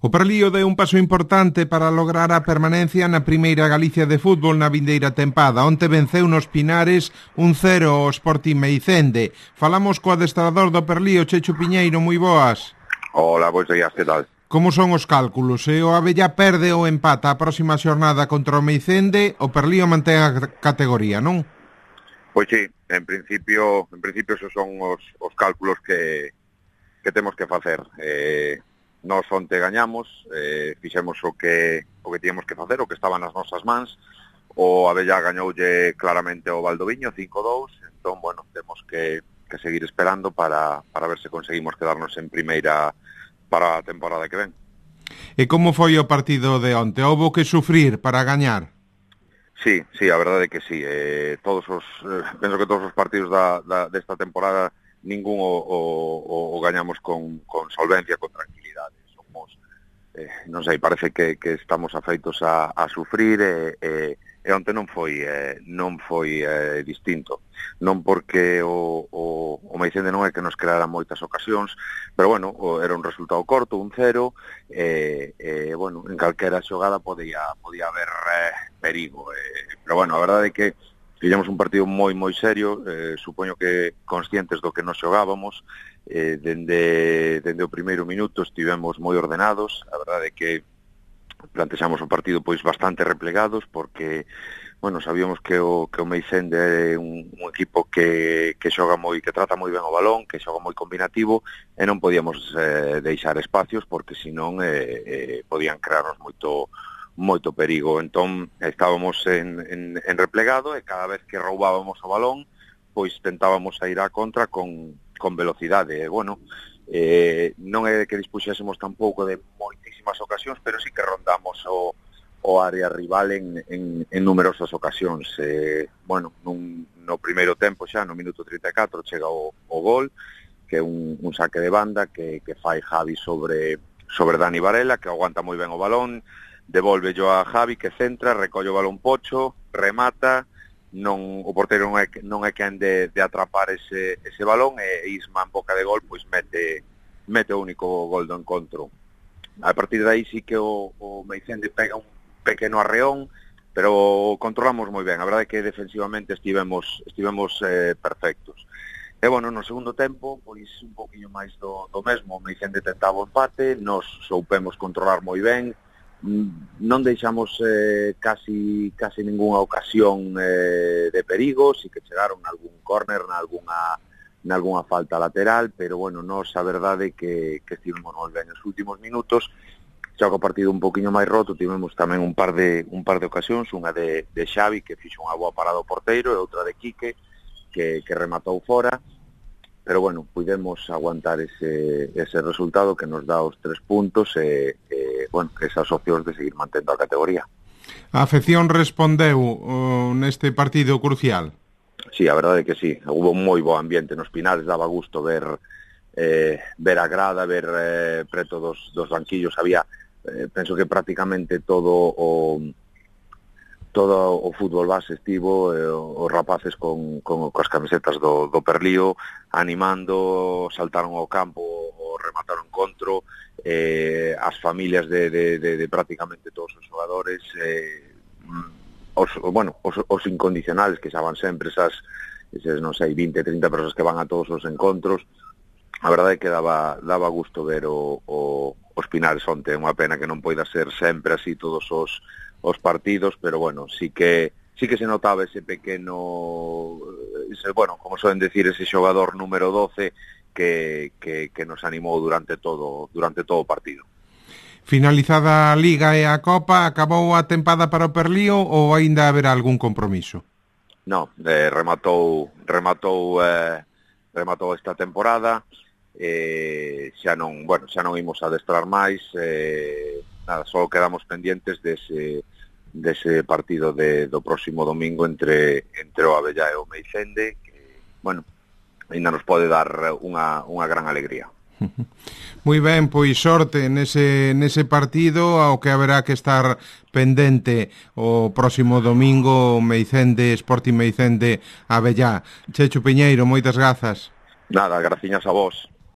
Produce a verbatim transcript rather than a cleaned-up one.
O Perlío deu un paso importante para lograr a permanencia na primeira Galicia de fútbol na vindeira tempada. Onte venceu nos Pinares un cero ao Sporting Meicende. Falamos co adestrador do Perlío, Chechu Piñeiro, moi boas. Hola, boas días, que tal? Como son os cálculos? Se o Abellá perde ou empata a próxima xornada contra o Meicende, o Perlío mantén a categoría, non? Pois sí, en principio, en principio esos son os, os cálculos que, que temos que facer. Eh, Nós onte gañamos, eh, fixemos o que o que tíamos que facer, o que estaba nas nosas mans. O Abellá gañoulle claramente o Valdoviño cinco dous, entón, bueno, temos que, que seguir esperando para, para ver se conseguimos quedarnos en primeira para a temporada que ven. E como foi o partido de onte? Houbo que sufrir para gañar? Sí, sí, a verdade é que sí. Eh, todos os, eh, penso que todos os partidos da, da, desta temporada ningún o, o, o gañamos con, con solvencia, con tranquilidade. Somos, eh, non sei, parece que, que estamos afeitos a, a sufrir e, e, e onte non foi eh, non foi eh, distinto. Non porque o, o, o Meicende non é que nos creara moitas ocasións, pero bueno, o, era un resultado corto, un cero, e, e bueno, en calquera xogada podía, podía haber eh, perigo. Eh, pero bueno, a verdade é que fixemos un partido moi, moi serio, eh, supoño que conscientes do que nos xogábamos, eh, dende, dende o primeiro minuto estivemos moi ordenados, a verdade é que plantexamos o partido pois bastante replegados, porque, bueno, sabíamos que o, que o Meicende é un, un equipo que, que xoga moi, que trata moi ben o balón, que xoga moi combinativo, e non podíamos eh, deixar espacios, porque senón eh, eh, podían crearnos moito moito perigo. Entón estábamos en, en, en replegado e cada vez que roubábamos o balón pois tentábamos a ir á contra con, con velocidade. E, bueno, eh, non é que dispuxésemos tampouco de moitísimas ocasións, pero sí que rondamos o, o área rival en, en, en numerosas ocasións. Eh, bueno, nun, no primeiro tempo xa, no minuto trinta e catro, chega o, o gol, que é un, un saque de banda que, que fai Javi sobre, sobre Dani Varela, que aguanta moi ben o balón, devolve yo a Javi, que centra, recolle o balón Pocho, remata, non, o porteiro non é, non é quen de, de atrapar ese, ese balón, e Isma en boca de gol pois mete, mete o único gol do encontro. A partir de aí sí que o, o Meicende pega un pequeno arreón, pero controlamos moi ben. A verdade é que defensivamente estivemos, estivemos eh, perfectos. E, bueno, no segundo tempo, pois un poquinho máis do, do mesmo. O Meicende tentaba o empate, nos soupemos controlar moi ben, non deixamos eh, casi casi ningunha ocasión eh, de perigo, si que chegaron algún córner, nalgúna, nalgúna falta lateral, pero, bueno, nos a verdade que, que estivemos moi ben nos últimos minutos. Xa que o partido un poquinho máis roto, tivemos tamén un par de un par de ocasións, unha de, de Xavi, que fixo unha boa parada ao porteiro, e outra de Quique, que, que rematou fora. Pero, bueno, pudemos aguantar ese, ese resultado que nos dá os tres puntos e, e bueno, esas opcións de seguir mantendo a categoría. A afección respondeu uh, neste partido crucial? Sí, a verdade é que sí. Hubo moi bo ambiente nos Pinares, daba gusto ver eh, ver a grada, ver eh, preto dos, dos banquillos. Había, eh, penso que prácticamente todo o... todo o fútbol base estivo, eh, os rapaces con, con, con as camisetas do, do Perlío, animando, saltaron ao campo, o remataron encontro, eh, as familias de, de, de, de prácticamente todos os xogadores, eh, os, bueno, os, os incondicionales que xa van sempre, esas, esas non sei, vinte, trinta persoas que van a todos os encontros. A verdade é que daba, daba gusto ver o, o, os Pinares onte. É unha pena que non poida ser sempre así todos os os partidos, pero, bueno, sí que sí que se notaba ese pequeno, ese, bueno, como suelen decir, ese xogador número doce que, que, que nos animou durante todo durante todo o partido. Finalizada a Liga e a Copa, acabou a tempada para o Perlío ou aínda haberá algún compromiso? No, eh, rematou rematou eh, rematou esta temporada, eh, xa non, bueno, xa non imos adestrar máis, eh, nada, só quedamos pendientes dese dese partido de, do próximo domingo entre entre o Abellá e o Meicende, que, bueno, ainda nos pode dar unha, unha gran alegría. Moi ben, pois sorte nese, nese partido, ao que haberá que estar pendente o próximo domingo, Meicende, Sporting Meicende Abellá. Chechu Piñeiro, moitas grazas. Nada, graciñas a vos.